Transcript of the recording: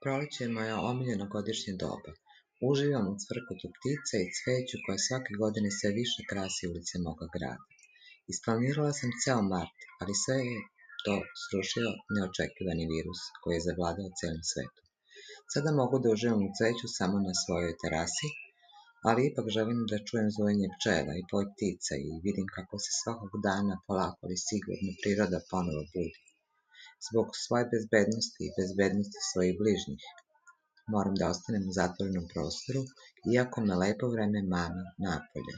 Proleće je moje omiljeno godišnje doba. Uživam u cvrkutu ptica i cveću koje svake godine sve više krasi ulice moga grada. Isplanirala sam ceo mart, ali sve je to srušio neočekivani virus koji je zavladao celim svetom. Sada mogu da uživam u cveću samo na svojoj terasi, ali ipak želim da čujem zvojenje pčela i poj ptica i vidim kako se svakog dana polako ali sigurno priroda ponovo budi. Zbog svoje bezbednosti i bezbednosti svojih bližnjih moram da ostanem u zatvorenom prostoru, iako me lepo vreme mami napolje.